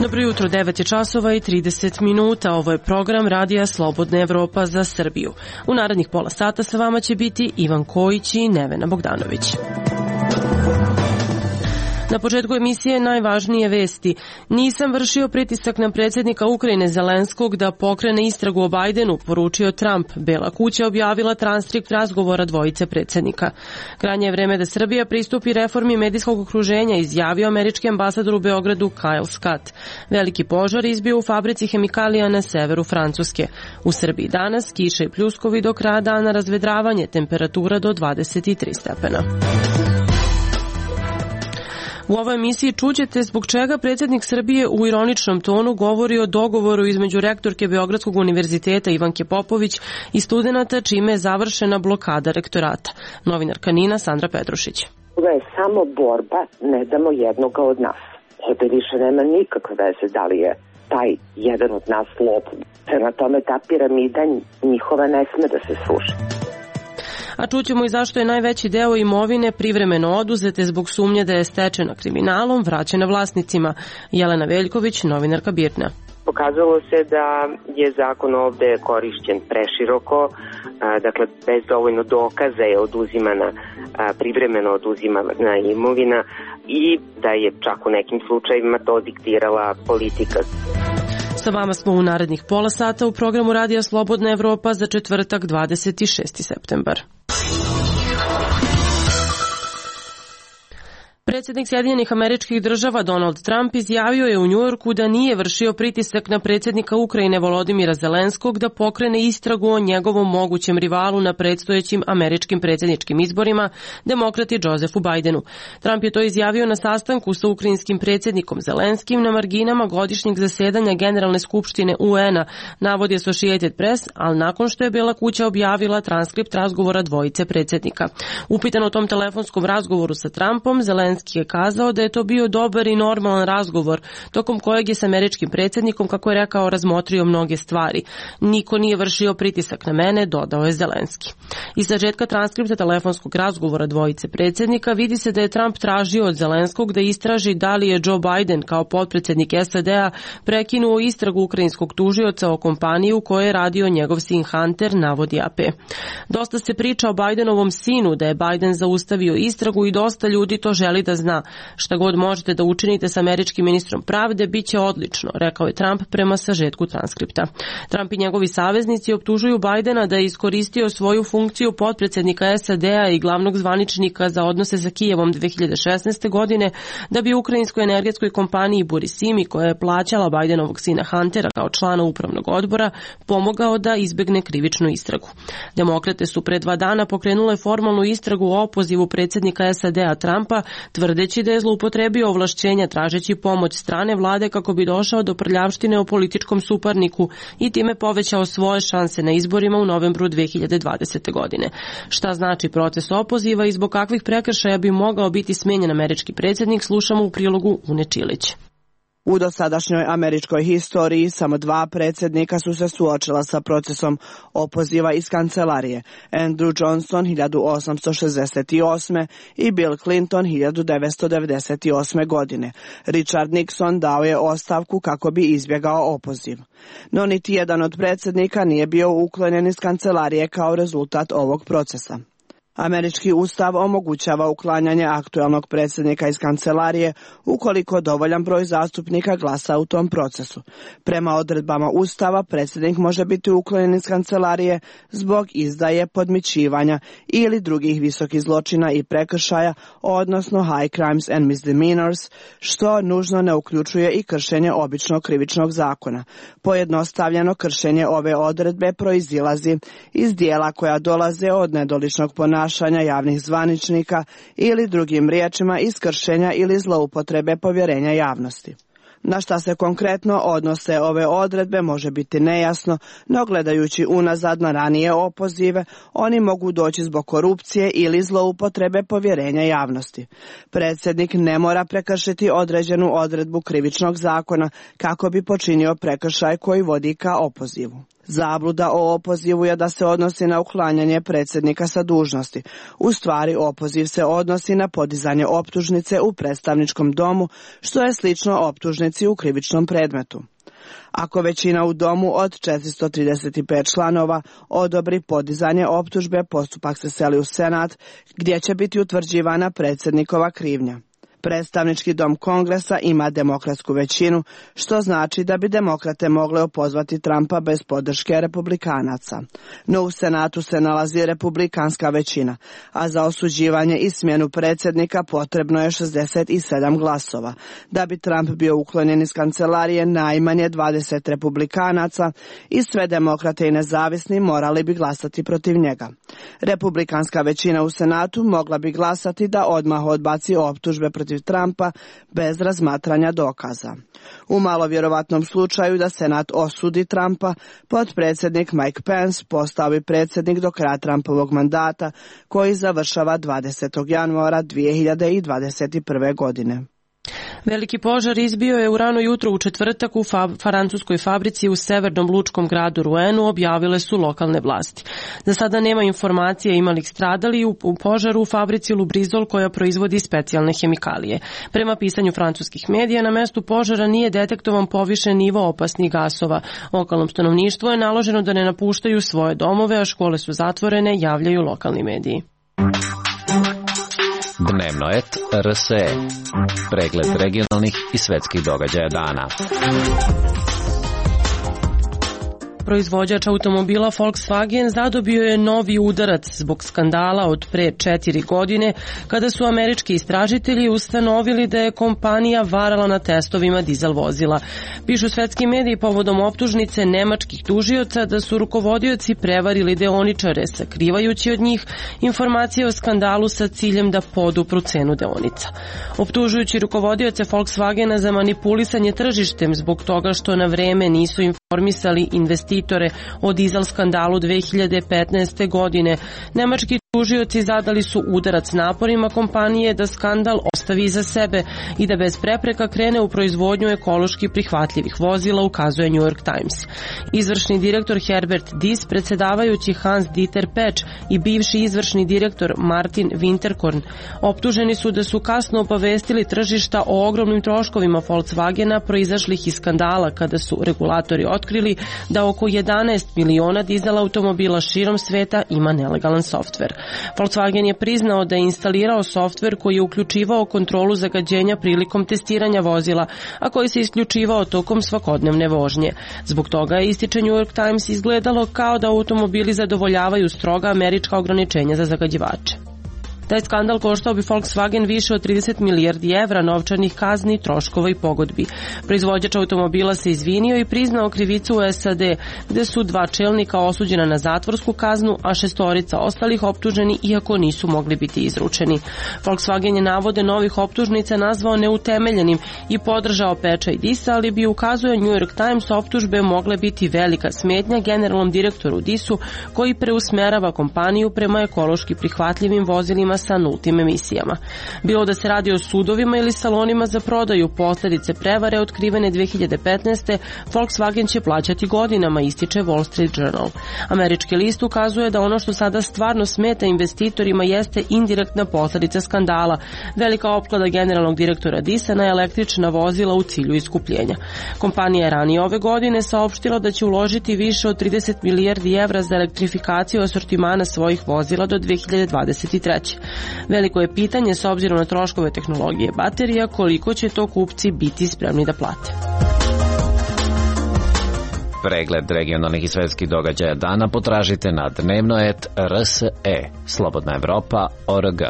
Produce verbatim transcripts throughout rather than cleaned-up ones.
Dobro jutro, devet je časova i trideset minuta. Ovo je program Radija Slobodna Evropa za Srbiju. U narednih pola sata sa vama će biti Ivan Kojić i Nevena Bogdanović. Na početku emisije najvažnije vesti. Nisam vršio pritisak na predsjednika Ukrajine Zelenskog da pokrene istragu o Bajdenu, poručio Trump. Bela kuća objavila transkript razgovora dvojice predsjednika. Krajnje je vreme da Srbija pristupi reformi medijskog okruženja, izjavio američki ambasador u Beogradu Kyle Scott. Veliki požar izbio u fabrici hemikalija na severu Francuske. U Srbiji danas kiše i pljuskovi, do kraja dana razvedravanje, temperatura do dvadeset tri stepena. U ovoj emisiji čućete zbog čega predsjednik Srbije u ironičnom tonu govori o dogovoru između rektorke Beogradskog univerziteta Ivanke Popović i studenata, čime je završena blokada rektorata. Novinarka Nina Sandra Petrušić. Ovo je samo borba, ne damo jednoga od nas. Ovdje više nema nikakve veze da li je taj jedan od nas lopov. Prema tome ta piramida njihova ne sme da se sruši. A čućemo i zašto je najveći deo imovine privremeno oduzete zbog sumnje da je stečena kriminalom, vraćena vlasnicima. Jelena Veljković, novinarka Birna. Pokazalo se da je zakon ovde korišćen preširoko, dakle bez dovoljno dokaza je oduzimana, privremeno oduzimana imovina i da je čak u nekim slučajevima to diktirala politika. Sa vama smo u narednih pola sata u programu Radija Slobodna Evropa za četvrtak dvadeset šesti septembar. Predsjednik Sjedinjenih Američkih Država Donald Trump izjavio je u Njujorku da nije vršio pritisak na predsjednika Ukrajine Volodimira Zelenskog da pokrene istragu o njegovom mogućem rivalu na predstojećim američkim predsjedničkim izborima, demokrati Josefu Bajdenu. Trump je to izjavio na sastanku sa ukrajinskim predsjednikom Zelenskim na marginama godišnjeg zasedanja Generalne skupštine U N-a, navodi Associated Press, ali nakon što je Bela kuća objavila transkript razgovora dvojice predsjednika. Upitan o tom telefonskom razgovoru sa Trumpom, Zelenski je kazao da je to bio dobar i normalan razgovor, tokom kojeg je s američkim predsjednikom, kako je rekao, razmotrio mnoge stvari. Niko nije vršio pritisak na mene, dodao je Zelenski. Iz sažetka transkripta telefonskog razgovora dvojice predsjednika vidi se da je Trump tražio od Zelenskog da istraži da li je Joe Biden kao potpredsjednik S A D-a prekinuo istragu ukrajinskog tužioca o kompaniji u kojoj je radio njegov sin Hunter, navodi A P. Dosta se priča o Bidenovom sinu, da je Biden zaustavio istragu i dosta ljudi to želi da zna. Šta god možete da učinite s američkim ministrom pravde, bit će odlično, rekao je Trump prema sažetku transkripta. Trump i njegovi saveznici optužuju Bidena da je iskoristio svoju funkciju potpredsjednika S A D-a i glavnog zvaničnika za odnose sa Kijevom dve hiljade šesnaeste. godine da bi ukrajinskoj energetskoj kompaniji Burisimi, koja je plaćala Bidenovog sina Huntera kao člana upravnog odbora, pomogao da izbegne krivičnu istragu. Demokrate su pre dva dana pokrenule formalnu istragu o opozivu predsjednika S A D-a Trumpa, tvrdeći da je zloupotrebio ovlašćenja tražeći pomoć strane vlade kako bi došao do prljavštine o političkom suparniku i time povećao svoje šanse na izborima u novembru dve hiljade dvadesete. godine. Šta znači proces opoziva i zbog kakvih prekršaja bi mogao biti smenjen američki predsjednik, slušamo u prilogu Une Čilić. U dosadašnjoj američkoj historiji samo dva predsjednika su se suočila sa procesom opoziva iz kancelarije. Andrew Johnson hiljadu osamsto šezdeset osme. i Bill Clinton hiljadu devetsto devedeset osme. godine. Richard Nixon dao je ostavku kako bi izbjegao opoziv. No niti jedan od predsjednika nije bio uklonjen iz kancelarije kao rezultat ovog procesa. Američki ustav omogućava uklanjanje aktuelnog predsjednika iz kancelarije ukoliko dovoljan broj zastupnika glasa u tom procesu. Prema odredbama ustava predsjednik može biti uklonjen iz kancelarije zbog izdaje, podmićivanja ili drugih visokih zločina i prekršaja, odnosno high crimes and misdemeanors, što nužno ne uključuje i kršenje običnog krivičnog zakona. Pojednostavljeno, kršenje ove odredbe proizilazi iz dijela koja dolaze od nedoličnog ponašanja javnih zvaničnika ili drugim riječima iz kršenja ili zloupotrebe povjerenja javnosti. Na šta se konkretno odnose ove odredbe može biti nejasno, no gledajući unazad na ranije opozive, oni mogu doći zbog korupcije ili zloupotrebe povjerenja javnosti. Predsjednik ne mora prekršiti određenu odredbu krivičnog zakona kako bi počinio prekršaj koji vodi ka opozivu. Zabluda o opozivu je da se odnosi na uklanjanje predsjednika sa dužnosti. U stvari, opoziv se odnosi na podizanje optužnice u predstavničkom domu, što je slično optužnici u krivičnom predmetu. Ako većina u domu od četiristo trideset pet članova odobri podizanje optužbe, postupak se seli u Senat, gdje će biti utvrđivana predsjednikova krivnja. Predstavnički dom Kongresa ima demokratsku većinu, što znači da bi demokrate mogle opozvati Trumpa bez podrške republikanaca. No u Senatu se nalazi republikanska većina, a za osuđivanje i smjenu predsjednika potrebno je šezdeset sedam glasova. Da bi Trump bio uklonjen iz kancelarije, najmanje dvadeset republikanaca i sve demokrate i nezavisni morali bi glasati protiv njega. Republikanska većina u Senatu mogla bi glasati da odmah odbaci optužbe protiv Trumpa bez razmatranja dokaza. U malo vjerovatnom slučaju da Senat osudi Trumpa, potpredsjednik Mike Pence postao bi predsjednik do kraja Trumpovog mandata, koji završava dvadesetog januara dvije hiljade dvadeset prve. godine. Veliki požar izbio je u rano jutro u četvrtak u fa- francuskoj fabrici u severnom lučkom gradu Rouenu, objavile su lokalne vlasti. Za sada nema informacije ima li stradali u, u požaru u fabrici Lubrizol koja proizvodi specijalne hemikalije. Prema pisanju francuskih medija, na mestu požara nije detektovan povišen nivo opasnih gasova. Lokalnom stanovništvu je naloženo da ne napuštaju svoje domove, a škole su zatvorene, javljaju lokalni mediji. Dnevnoet R S E. Pregled regionalnih i svetskih događaja dana. Proizvođač automobila Volkswagen zadobio je novi udarac zbog skandala od pre četiri godine, kada su američki istražitelji ustanovili da je kompanija varala na testovima dizel vozila. Pišu svetski mediji povodom optužnice nemačkih tužioca da su rukovodioci prevarili deoničare, sakrivajući od njih informacije o skandalu sa ciljem da podupru cenu deonica. Optužujući rukovodioce Volkswagena za manipulisanje tržištem zbog toga što na vreme nisu informisali investitore o dizel skandalu dve hiljade petnaeste. godine. Nemački tužioci zadali su udarac naporima kompanije da skandal ostavi iza sebe i da bez prepreka krene u proizvodnju ekološki prihvatljivih vozila, ukazuje New York Times. Izvršni direktor Herbert Diess, predsjedavajući Hans Dieter Petsch i bivši izvršni direktor Martin Winterkorn optuženi su da su kasno obavestili tržišta o ogromnim troškovima Volkswagena proizašlih iz skandala, kada su regulatori otkrili da oko jedanaest miliona dizel automobila širom sveta ima nelegalan softver. Volkswagen je priznao da je instalirao softver koji je uključivao kontrolu zagađenja prilikom testiranja vozila, a koji se isključivao tokom svakodnevne vožnje. Zbog toga je, ističe New York Times, izgledalo kao da automobili zadovoljavaju stroga američka ograničenja za zagađivače. Taj skandal koštao bi Volkswagen više od trideset milijardi evra novčanih kazni, troškova i pogodbi. Proizvođač automobila se izvinio i priznao krivicu u S A D, gde su dva čelnika osuđena na zatvorsku kaznu, a šestorica ostalih optuženi iako nisu mogli biti izručeni. Volkswagen je navode novih optužnica nazvao neutemeljenim i podržao Petcha i Dissa, ali bi, ukazuje New York Times, optužbe mogle biti velika smetnja generalnom direktoru Dissu, koji preusmerava kompaniju prema ekološki prihvatljivim vozilima sa nultim emisijama. Bilo da se radi o sudovima ili salonima za prodaju, posljedice prevare otkrivene dve hiljade petnaeste. Volkswagen će plaćati godinama, ističe Wall Street Journal. Američki list ukazuje da ono što sada stvarno smeta investitorima jeste indirektna posljedica skandala, velika opklada generalnog direktora Dissa na električna vozila u cilju iskupljenja. Kompanija je ranije ove godine saopštila da će uložiti više od trideset milijardi evra za elektrifikaciju asortimana svojih vozila do dve hiljade dvadeset treće. Veliko je pitanje, s obzirom na troškove tehnologije baterija, koliko će to kupci biti spremni da plate. Pregled regionalnih i svetskih događaja dana potražite na dnevnoet R S E, Slobodna Evropa, O R G.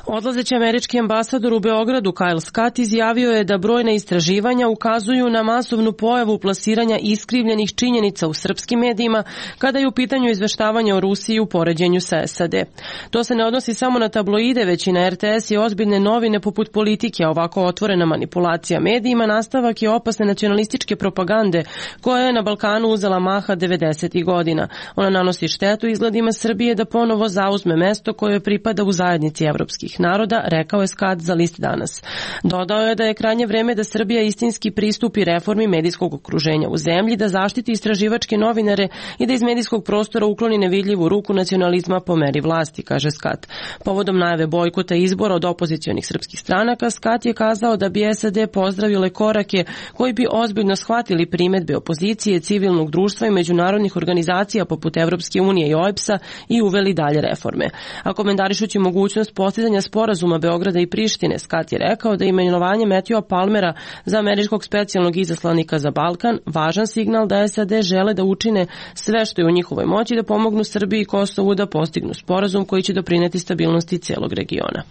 Odlazeći američki ambasador u Beogradu Kyle Scott izjavio je da brojna istraživanja ukazuju na masovnu pojavu plasiranja iskrivljenih činjenica u srpskim medijima kada je u pitanju izveštavanja o Rusiji u poređenju sa S A D. To se ne odnosi samo na tabloide, već i na R T S i ozbiljne novine poput Politike. Ovako otvorena manipulacija medijima nastavak je opasne nacionalističke propagande koja je na Balkanu uzela maha devedesetih godina. Ona nanosi štetu izgledima Srbije da ponovo zauzme mesto koje pripada u zajednici evropskih ujedinjenih naroda, rekao je Scott za list Danas. Dodao je da je krajnje vreme da Srbija istinski pristupi reformi medijskog okruženja u zemlji, da zaštiti istraživačke novinare i da iz medijskog prostora ukloni nevidljivu ruku nacionalizma po meri vlasti, kaže Scott. Povodom najave bojkota izbora od opozicionih srpskih stranaka, Scott je kazao da bi S A D pozdravile korake koji bi ozbiljno shvatili primedbe opozicije, civilnog društva i međunarodnih organizacija poput Evropske unije i O E B S-a i uveli dalje reforme. A komentarišući mogućnost postizanja sporazuma Beograda i Prištine, Scott je rekao da je imenovanje Matthewa Palmera za američkog specijalnog izaslanika za Balkan važan signal da S A D žele da učine sve što je u njihovoj moći da pomognu Srbiji i Kosovu da postignu sporazum koji će doprineti stabilnosti celog regiona.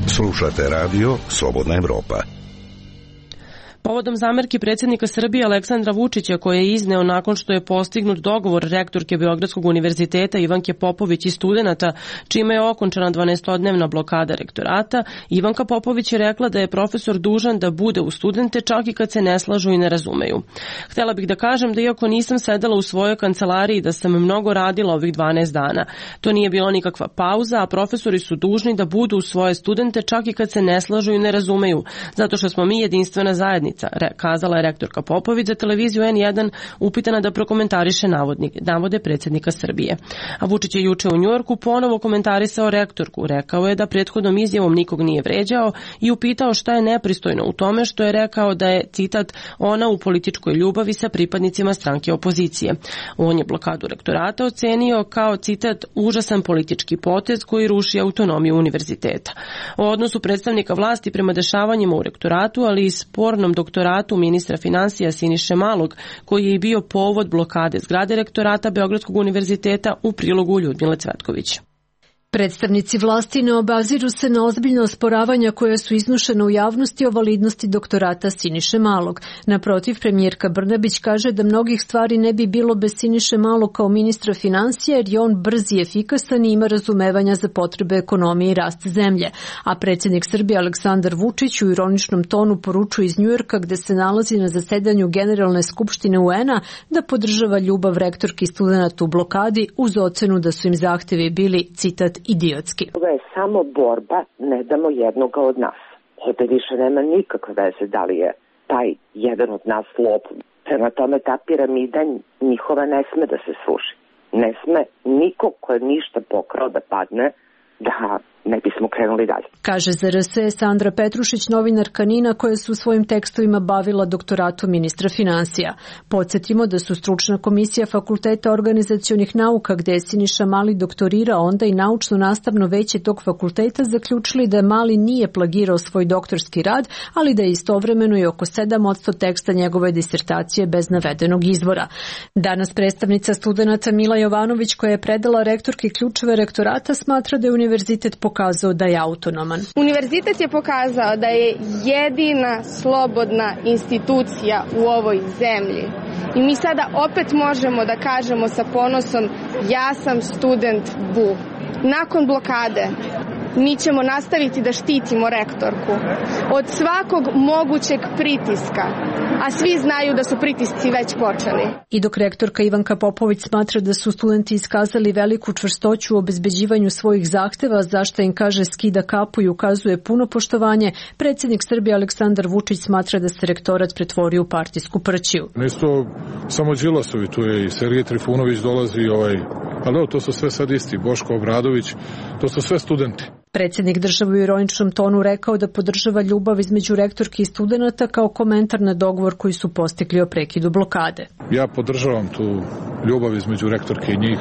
Slušate radio Slobodna Evropa. Povodom zamerki predsjednika Srbije Aleksandra Vučića koje je izneo nakon što je postignut dogovor rektorke Beogradskog univerziteta Ivanke Popović i studenata, čime je okončana dvanaestodnevna blokada rektorata, Ivanka Popović je rekla da je profesor dužan da bude u studente čak i kad se ne slažu i ne razumeju. Htela bih da kažem da iako nisam sedela u svojoj kancelariji da sam mnogo radila ovih dvanaest dana. To nije bila nikakva pauza, a profesori su dužni da budu u svoje studente čak i kad se ne slažu i ne razumeju, zato što smo mi jedinstvena zajednica, kazala je rektorka Popović za televiziju N jedan upitana da prokomentariše navodnik, navode predsjednika Srbije. A Vučić je juče u Njujorku ponovo komentarisao rektorku. Rekao je da prethodnom izjavom nikog nije vređao i upitao šta je nepristojno u tome što je rekao da je, citat, ona u političkoj ljubavi sa pripadnicima stranke opozicije. On je blokadu rektorata ocenio kao, citat, užasan politički potez koji ruši autonomiju univerziteta. O odnosu predstavnika vlasti prema dešavanjima u rektoratu, ali i spornom doktoratu ministra finansija Siniše Malog, koji je i bio povod blokade zgrade rektorata Beogradskog univerziteta, u prilogu Ljudmile Cvetković. Predstavnici vlasti ne obaziru se na ozbiljna osporavanja koja su iznušena u javnosti o validnosti doktorata Siniše Malog. Naprotiv, premijerka Brnabić kaže da mnogih stvari ne bi bilo bez Siniše Malog kao ministra finansija, jer je on brz i efikasan i ima razumevanja za potrebe ekonomije i rast zemlje. A predsjednik Srbije Aleksandar Vučić u ironičnom tonu poručuje iz Njujorka, gde se nalazi na zasedanju Generalne skupštine U N-a, da podržava ljubav rektorki studenata u blokadi uz ocenu da su im zahtevi bili, citat, idiotski. Ovo je samo borba, ne damo jednoga od nas. Ovde više nema nikakve veze da li je taj jedan od nas lopov. Prema tome ta piramida njihova ne sme da se sruši. Ne sme niko ko je ništa pokrao da padne, da ne bismo krenuli dalje. Kaže za R S E Sandra Petrušić, novinarka NIN-a koja se u svojim tekstovima bavila doktoratom ministra finansija. Podsjetimo da su stručna komisija Fakulteta organizacionih nauka, gde je Siniša Mali doktorirao, onda i naučno-nastavno veće tog fakulteta zaključili da Mali nije plagirao svoj doktorski rad, ali da je istovremeno i oko sedam posto teksta njegove disertacije bez navedenog izvora. Danas predstavnica studenata Mila Jovanović, koja je predala rektorki ključeve rektorata, smatra da je univerzitet pokazao da je autonoman. Univerzitet je pokazao da je jedina slobodna institucija u ovoj zemlji. I mi sada opet možemo da kažemo sa ponosom: ja sam student B U. Nakon blokade mi ćemo nastaviti da štitimo rektorku od svakog mogućeg pritiska, a svi znaju da su pritisci već počeli. I dok rektorka Ivanka Popović smatra da su studenti iskazali veliku čvrstoću u obezbeđivanju svojih zahteva, zašto im kaže skida kapu i ukazuje puno poštovanje, predsjednik Srbije Aleksandar Vučić smatra da se rektorat pretvorio u partijsku prćiju. Nisu to samo Đilasovi, tu je i Sergej Trifunović dolazi, ovaj, ali to su sve sad isti, Boško Obradović, to su sve studenti. Predsjednik države u ironičnom tonu rekao da podržava ljubav između rektorki i studenata kao komentar na dogovor koji su postigli o prekidu blokade. Ja podržavam tu ljubav između rektorke i njih.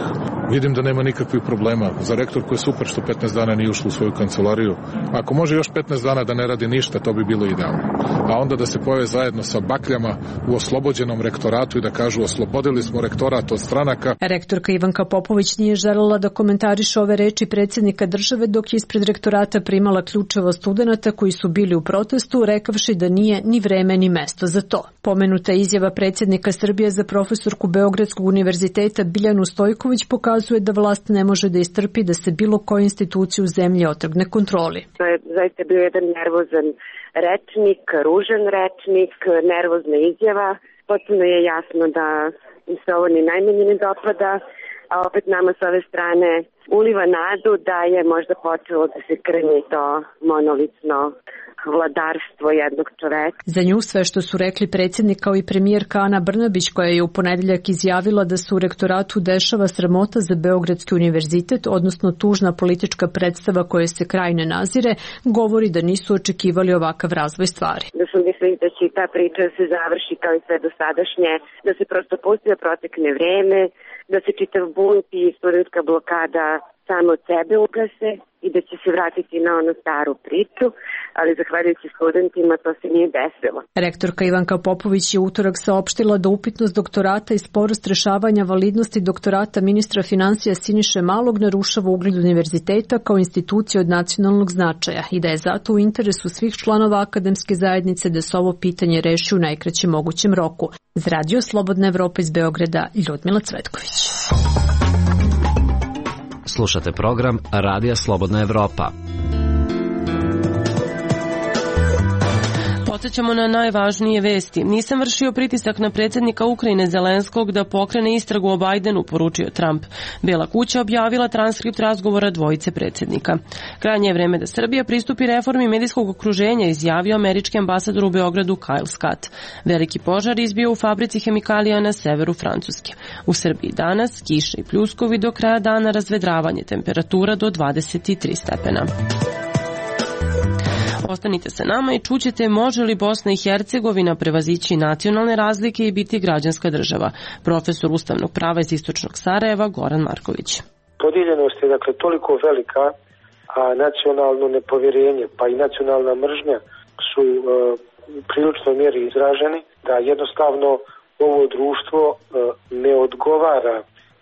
Vidim da nema nikakvih problema. Za rektorku je super što petnaest dana nije ušla u svoju kancelariju. Ako može još petnaest dana da ne radi ništa, to bi bilo idealno. A onda da se pojave zajedno sa bakljama u oslobođenom rektoratu i da kažu: oslobodili smo rektorat od stranaka. Rektorka Ivanka Popović nije želela da komentariše ove reči predsjednika države dok je ispred rektorata primala ključeva studenata koji su bili u protestu, rekavši da nije ni vreme ni mesto za to. Pomenuta izjava predsjednika Srbije za profesorku Beogradskog univerziteta Biljanu Stojković pokazuje da vlast ne može da istrpi da se bilo koja institucija u zemlji otrgne kontroli. To je zaista bio jedan nervozan rečnik, ružan rečnik, nervozna izjava. Potpuno je jasno da se ovo ni najmanje ne dopada, a opet nama s ove strane uliva nadu da je možda počelo da se krnji to monolitno vladarstvo jednog čoveka. Za nju sve što su rekli predsjednik kao i premijerka Ana Brnabić, koja je u ponedeljak izjavila da se u rektoratu dešava sramota za Beogradski univerzitet, odnosno tužna politička predstava koje se kraj ne nazire, govori da nisu očekivali ovakav razvoj stvari. Da su mislili da će ta priča se završi kao i sve dosadašnje, da se prosto pusti da protekne vreme, da se čitav bunt i studentska blokada samo od sebe ugase i da će se vratiti na onu staru priču, ali zahvaljujući studentima to se nije desilo. Rektorka Ivanka Popović je utorak saopštila da upitnost doktorata i sporost rešavanja validnosti doktorata ministra finansija Siniše Malog narušava ugled univerziteta kao institucije od nacionalnog značaja i da je zato u interesu svih članova akademske zajednice da se ovo pitanje reši u najkraćem mogućem roku. Za Radio Slobodna Evropa iz Beograda, Ljudmila Cvetković. Slušate program Radija Slobodna Evropa. Podsećamo na najvažnije vesti. Nisam vršio pritisak na predsjednika Ukrajine Zelenskog da pokrene istragu o Bajdenu, poručio Trump. Bela kuća objavila transkript razgovora dvojice predsjednika. Krajnje je vreme da Srbija pristupi reformi medijskog okruženja, izjavio američki ambasador u Beogradu Kyle Scott. Veliki požar izbio u fabrici hemikalija na severu Francuske. U Srbiji danas kiša i pljuskovi, do kraja dana razvedravanje, temperatura do dvadeset tri stepena. Ostanite sa nama i čućete može li Bosna i Hercegovina prevazići nacionalne razlike i biti građanska država. Profesor ustavnog prava iz istočnog Sarajeva Goran Marković. Podijeljenost je dakle toliko velika, a nacionalno nepovjerenje pa i nacionalna mržnja su e, u priličnoj mjeri izraženi, da jednostavno ovo društvo e, ne odgovara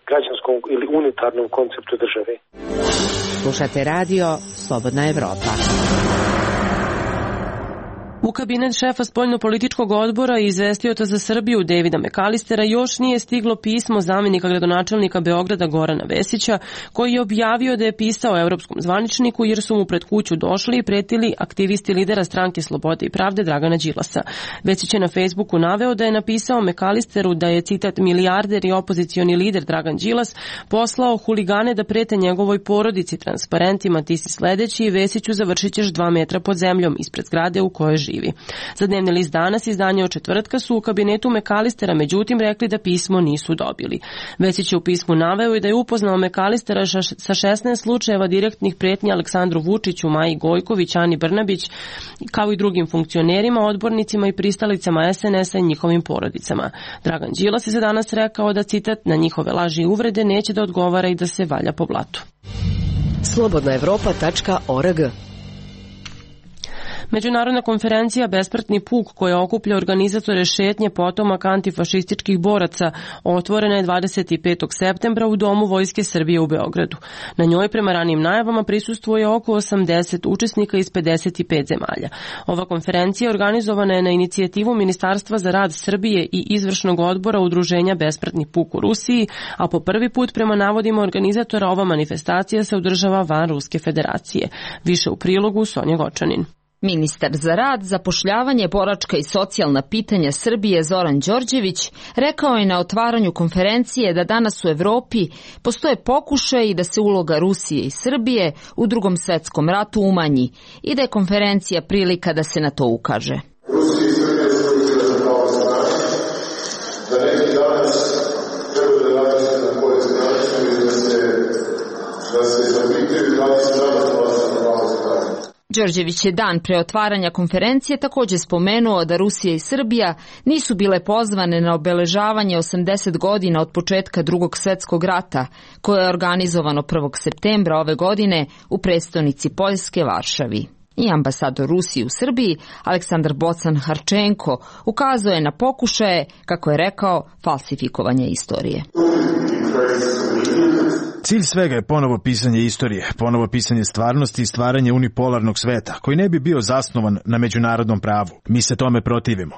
građanskom ili unitarnom konceptu države. Slušate radio Slobodna Evropa. U kabinet šefa spoljno-političkog odbora i izvestioca za Srbiju Davida McAllistera još nije stiglo pismo zamjenika gradonačelnika Beograda Gorana Vesića, koji je objavio da je pisao Europskom zvaničniku jer su mu pred kuću došli i pretili aktivisti lidera stranke Slobode i pravde Dragana Đilasa. Vesić je na Facebooku naveo da je napisao McAllisteru da je, citat, milijarder i opozicioni lider Dragan Đilas poslao huligane da prete njegovoj porodici transparentima ti si sledeći i Vesiću završit ćeš dva metra pod zemljom ispred zgrade u kojoj živi. Za dnevni list Danas, izdanje od četvrtka, su u kabinetu McAllistera međutim rekli da pismo nisu dobili. Vesić je u pismu naveo i da je upoznao McAllistera sa šesnaest slučajeva direktnih pretnji Aleksandru Vučiću, Maji Gojković, Ani Brnabić, kao i drugim funkcionerima, odbornicima i pristalicama es en es a i njihovim porodicama. Dragan Đilas je za danas rekao da, citat, na njihove laži i uvrede neće da odgovara i da se valja po blatu. slobodna evropa tačka org. Međunarodna konferencija Besmrtni puk, koja okuplja organizatore šetnje potomaka antifašističkih boraca, otvorena je dvadeset petog septembra u Domu Vojske Srbije u Beogradu. Na njoj, prema ranijim najavama, prisustvuje oko osamdeset učesnika iz pedeset pet zemalja. Ova konferencija organizovana je na inicijativu Ministarstva za rad Srbije i izvršnog odbora Udruženja Besmrtni puk u Rusiji, a po prvi put, prema navodima organizatora, ova manifestacija se održava van Ruske federacije. Više u prilogu Sonja Gočanin. Ministar za rad, zapošljavanje, boračka i socijalna pitanja Srbije Zoran Đorđević rekao je na otvaranju konferencije da danas u Evropi postoje pokušaj i da se uloga Rusije i Srbije u Drugom svetskom ratu umanji i da je konferencija prilika da se na to ukaže. Rusija i Srbija su izgleda kao strane, da neki danas treba da napiše na koje strane i da se, da se zapitaju da li se danas vlasi na pravo strane. Đorđević je dan pre otvaranja konferencije također spomenuo da Rusija i Srbija nisu bile pozvane na obeležavanje osamdeset godina od početka Drugog svjetskog rata, koje je organizovano prvog septembra ove godine u prestonici Poljske, Varšavi. I ambasador Rusije u Srbiji, Aleksandar Bocan Harčenko, ukazuje na pokušaje, kako je rekao, falsifikovanja istorije. Cilj svega je ponovo pisanje istorije, ponovo pisanje stvarnosti i stvaranje unipolarnog sveta, koji ne bi bio zasnovan na međunarodnom pravu. Mi se tome protivimo.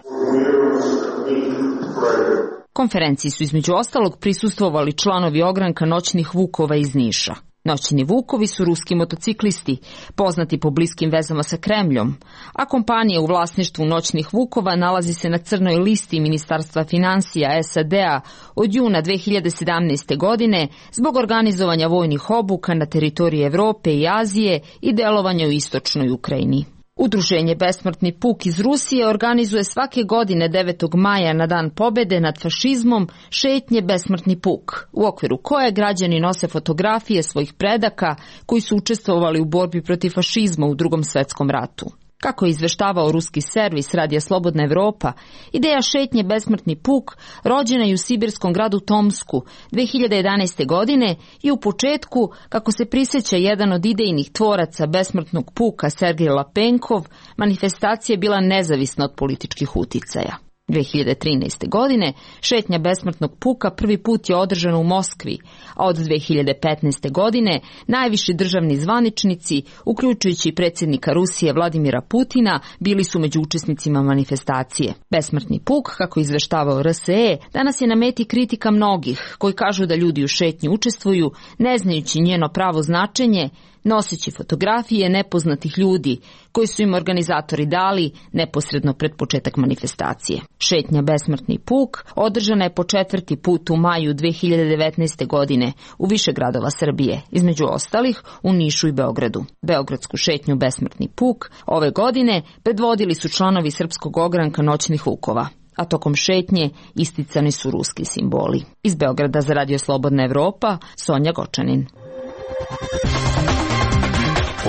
Konferenciji su između ostalog prisustvovali članovi ogranka Noćnih vukova iz Niša. Noćni vukovi su ruski motociklisti, poznati po bliskim vezama sa Kremljom, a kompanija u vlasništvu noćnih vukova nalazi se na crnoj listi Ministarstva financija S A D-a od juna dve hiljade sedamnaeste. godine zbog organizovanja vojnih obuka na teritoriji Evrope i Azije i delovanja u istočnoj Ukrajini. Udruženje Besmrtni puk iz Rusije organizuje svake godine devetog maja na Dan pobede nad fašizmom šetnje Besmrtni puk, u okviru koje građani nose fotografije svojih predaka koji su učestvovali u borbi protiv fašizma u Drugom svetskom ratu. Kako je izveštavao ruski servis Radija Slobodna Evropa, ideja šetnje Besmrtni puk rođena je u sibirskom gradu Tomsku dve hiljade jedanaeste. godine i u početku, kako se prisjeća jedan od idejnih tvoraca Besmrtnog puka Sergej Lapenkov, manifestacija je bila nezavisna od političkih uticaja. dve hiljade trinaeste. godine šetnja Besmrtnog puka prvi put je održana u Moskvi, a od dve hiljade petnaeste. godine najviši državni zvaničnici, uključujući i predsjednika Rusije Vladimira Putina, bili su među učesnicima manifestacije. Besmrtni puk, kako izveštavao R S E, danas je na meti kritika mnogih, koji kažu da ljudi u šetnji učestvuju, ne znajući njeno pravo značenje, noseći fotografije nepoznatih ljudi koji su im organizatori dali neposredno pred početak manifestacije. Šetnja Besmrtni puk održana je po četvrti put u maju dve hiljade devetnaeste. godine u više gradova Srbije, između ostalih u Nišu i Beogradu. Beogradsku šetnju Besmrtni puk ove godine predvodili su članovi srpskog ogranka noćnih vukova, a tokom šetnje isticani su ruski simboli. Iz Beograda za Radio Slobodna Evropa, Sonja Gočanin.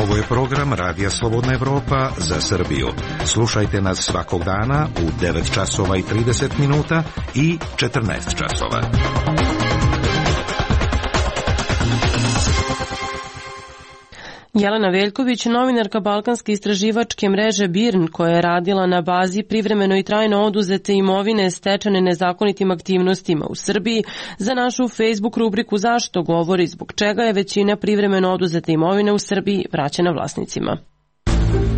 Ovo je program Radija Slobodna Evropa za Srbiju. Slušajte nas svakog dana u devet časova i trideset minuta i četrnaest časova. Jelena Veljković, novinarka balkanske istraživačke mreže B I R N, koja je radila na bazi privremeno i trajno oduzete imovine stečene nezakonitim aktivnostima u Srbiji, za našu Facebook rubriku Zašto govori zbog čega je većina privremeno oduzete imovine u Srbiji vraćena vlasnicima.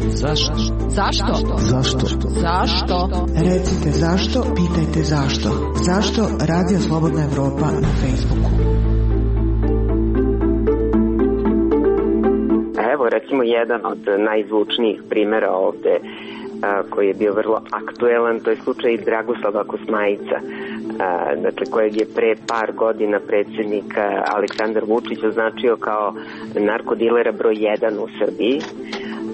Zašto? Zašto? Zašto? Zašto? Recite zašto, pitajte zašto. Zašto Radio Slobodna Evropa na Facebooku? Evo recimo jedan od najzvučnijih primjera ovde a, koji je bio vrlo aktuelan, to je slučaj Dragoslava Kosmajica, a, dakle kojeg je pre par godina predsjednik Aleksandar Vučić označio kao narkodilera broj jedan u Srbiji.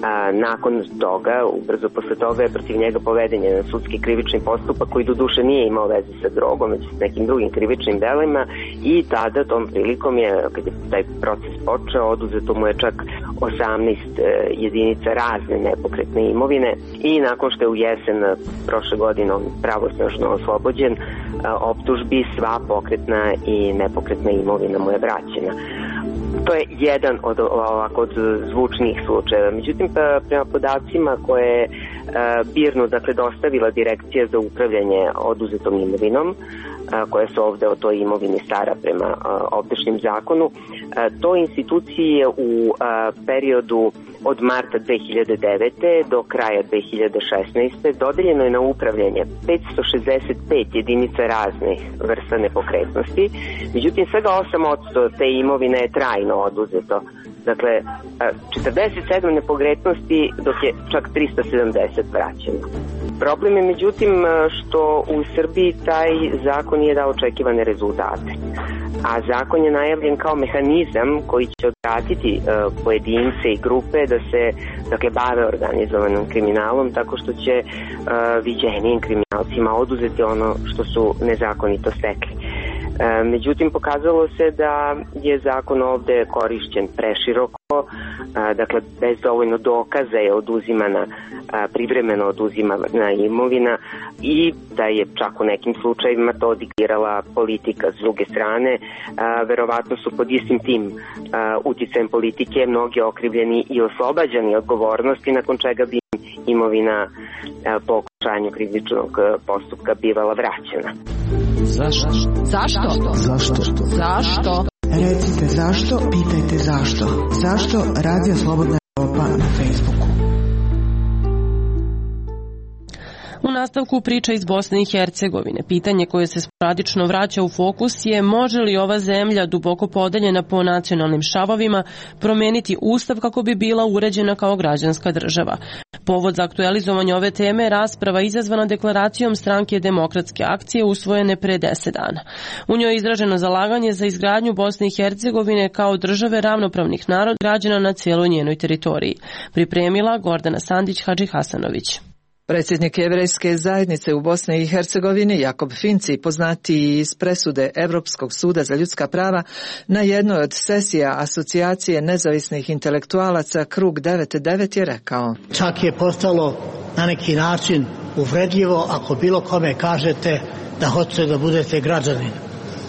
A, nakon toga, ubrzo posle toga je protiv njega poveden jedan sudski krivični postupak koji do duše nije imao veze sa drogom, već s nekim drugim krivičnim delima, i tada tom prilikom je, kad je taj proces počeo, oduzeto mu je čak osamnaest jedinica razne nepokretne imovine, i nakon što je u jesen prošle godine on pravosnažno oslobođen optužbi, sva pokretna i nepokretna imovina mu je vraćena. To je jedan od ovako od zvučnih slučajeva. Međutim, prema podacima koje je B I R N-u dakle dostavila Direkcija za upravljanje oduzetom imovinom, koja se ovde o toj imovini stara prema ovdašnjem zakonu, to institucije u periodu od marta dve hiljade devete. do kraja dve hiljade šesnaeste. dodeljeno je na upravljanje petsto šezdeset pet jedinica raznih vrsta nepokretnosti. Međutim, svega osam posto te imovine je trajno oduzeto. Dakle, četrdeset sedam nepokretnosti, dok je čak tristo sedamdeset vraćeno. Problem je međutim što u Srbiji taj zakon nije dao očekivane rezultate. A zakon je najavljen kao mehanizam koji će odvratiti uh, pojedince i grupe da se dakle, bave organizovanim kriminalom, tako što će uh, viđenijim kriminalcima oduzeti ono što su nezakonito stekli. E, međutim, pokazalo se da je zakon ovde korišćen preširoko, a, dakle, bez dovoljno dokaza je oduzimana, a, privremeno oduzimana imovina, i da je čak u nekim slučajevima to diktirala politika. S druge strane, a, verovatno su pod istim tim a, uticajem politike mnogi okrivljeni i oslobađani odgovornosti, nakon čega bi imovina a, po okončanju krivičnog postupka bivala vraćena. Zašto? Zašto? Zašto? Zašto? Recite zašto, pitajte zašto. Zašto Radio Slobodna Evropa na Facebooku? U nastavku priča iz Bosne i Hercegovine. Pitanje koje se sporadično vraća u fokus je može li ova zemlja, duboko podeljena po nacionalnim šavovima, promeniti ustav kako bi bila uređena kao građanska država. Povod za aktualizovanje ove teme je rasprava izazvana deklaracijom Stranke demokratske akcije usvojene pre deset dana. U njoj je izraženo zalaganje za izgradnju Bosne i Hercegovine kao države ravnopravnih naroda građana na cijeloj njenoj teritoriji. Pripremila Gordana Sandić-Hadžihasanović. Predsjednik Jevrejske zajednice u Bosni i Hercegovini Jakob Finci, poznatiji iz presude Europskog suda za ljudska prava, na jednoj od sesija Asocijacije nezavisnih intelektualaca Krug devet devet je rekao: čak je postalo na neki način uvredljivo ako bilo kome kažete da hoćete da budete građanin.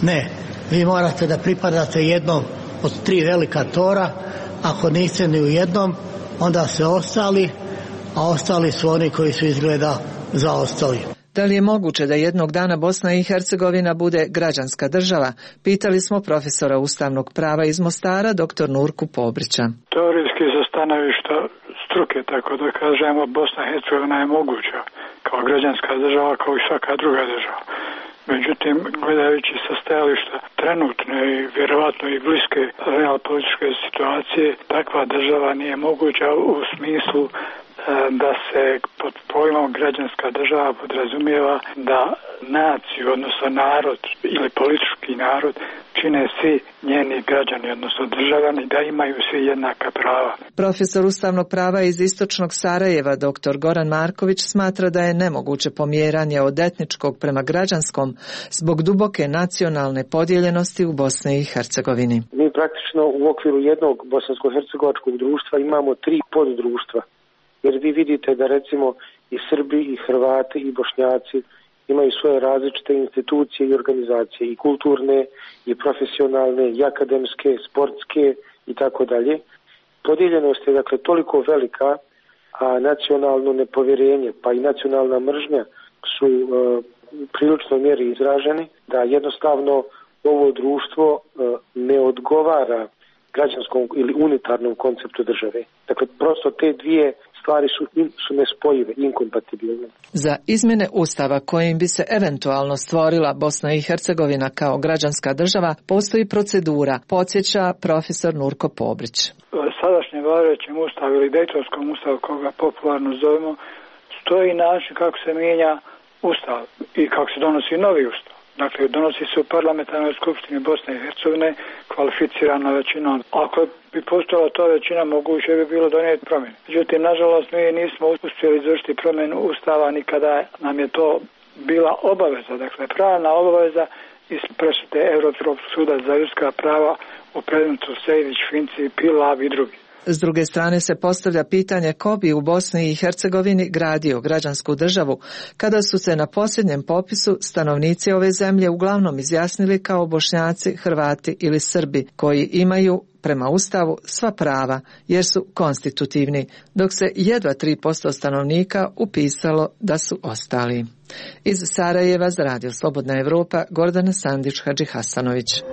Ne, vi morate da pripadate jednom od tri velika tora, ako niste ni u jednom, onda se ostali, a ostali su oni koji su izgleda zaostali. Da li je moguće da jednog dana Bosna i Hercegovina bude građanska država? Pitali smo profesora ustavnog prava iz Mostara, doktor Nurku Pobrića. Teorijski sa stanovišta struke, tako da kažemo, Bosna i Hercegovina je moguća kao građanska država, kao i svaka druga država. Međutim, gledajući sa stajališta trenutne i vjerovatno i bliske realpolitičke situacije, takva država nije moguća u smislu da se pod pojmom građanska država podrazumijeva da naciju, odnosno narod ili politički narod čine svi njeni građani, odnosno državljani, da imaju svi jednaka prava. Profesor ustavnog prava iz istočnog Sarajeva, doktor Goran Marković, smatra da je nemoguće pomjeranje od etničkog prema građanskom zbog duboke nacionalne podijeljenosti u Bosni i Hercegovini. Mi praktično u okviru jednog bosansko-hercegovačkog društva imamo tri poddruštva. Jer vi vidite da recimo i Srbi, i Hrvati, i Bošnjaci imaju svoje različite institucije i organizacije, i kulturne, i profesionalne, i akademske, sportske i tako dalje. Podijeljenost je dakle toliko velika, a nacionalno nepovjerenje pa i nacionalna mržnja su e, prilično mjeri izraženi, da jednostavno ovo društvo e, ne odgovara građanskom ili unitarnom konceptu države. Dakle, prosto te dvije stvari su, su nespojive, inkompatibilne. Za izmjene ustava kojim bi se eventualno stvorila Bosna i Hercegovina kao građanska država postoji procedura, podsjeća profesor Nurko Pobrić. Sadašnjem važećem ustavu ili Dejtonskom ustavu, koga popularno zovemo, stoji način kako se mijenja ustav i kako se donosi novi ustav. Dakle, donosi se u parlamentarnoj skupštini Bosne i Hercegovine kvalificirana većinom. Ako bi postojala ta većina, moguće bi bilo donijeti promjene. Međutim, nažalost, mi nismo uspjeli izvršiti promjenu ustava nikada nam je to bila obaveza. Dakle, pravna obaveza iz presude Europskog suda za ljudska prava u predmetu Sejdić, Finci, Pilav i drugi. S druge strane se postavlja pitanje ko bi u Bosni i Hercegovini gradio građansku državu kada su se na posljednjem popisu stanovnici ove zemlje uglavnom izjasnili kao Bošnjaci, Hrvati ili Srbi koji imaju prema Ustavu sva prava jer su konstitutivni, dok se jedva tri posto stanovnika upisalo da su ostali. Iz Sarajeva za Radio Slobodna Evropa, Gordana Sandić-Hadžihasanović.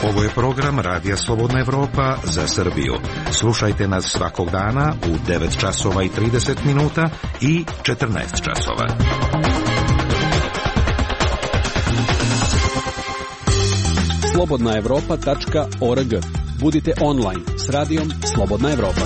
Ovo je program Radija Slobodna Evropa za Srbiju. Slušajte nas svakog dana u devet časova i trideset minuta i četrnaest časova. slobodna evropa tačka org. Budite online s radijom Slobodna Evropa.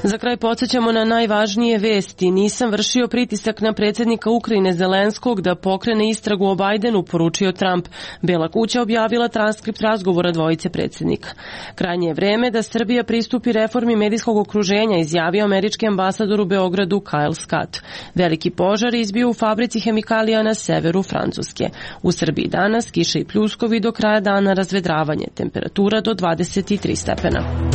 Za kraj podsjećamo na najvažnije vesti. Nisam vršio pritisak na predsjednika Ukrajine Zelenskog da pokrene istragu o Bajdenu, poručio Trump. Bela kuća objavila transkript razgovora dvojice predsjednika. Krajnje je vreme da Srbija pristupi reformi medijskog okruženja, izjavio američki ambasador u Beogradu Kyle Scott. Veliki požar izbio u fabrici hemikalija na severu Francuske. U Srbiji danas kiša i pljuskovi, do kraja dana razvedravanje, temperatura do dvadeset tri stepena.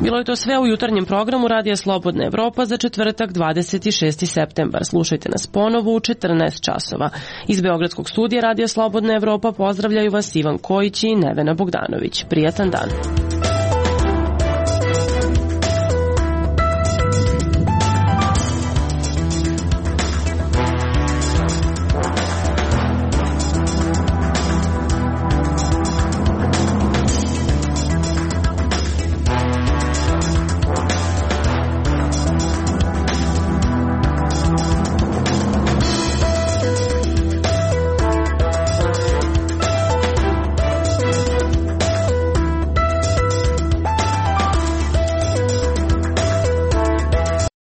Bilo je to sve u jutarnjem programu Radija Slobodna Evropa za četvrtak dvadeset šesti septembar. Slušajte nas ponovo u četrnaest časova. Iz Beogradskog studija Radija Slobodna Evropa pozdravljaju vas Ivan Kojić i Nevena Bogdanović. Prijatan dan.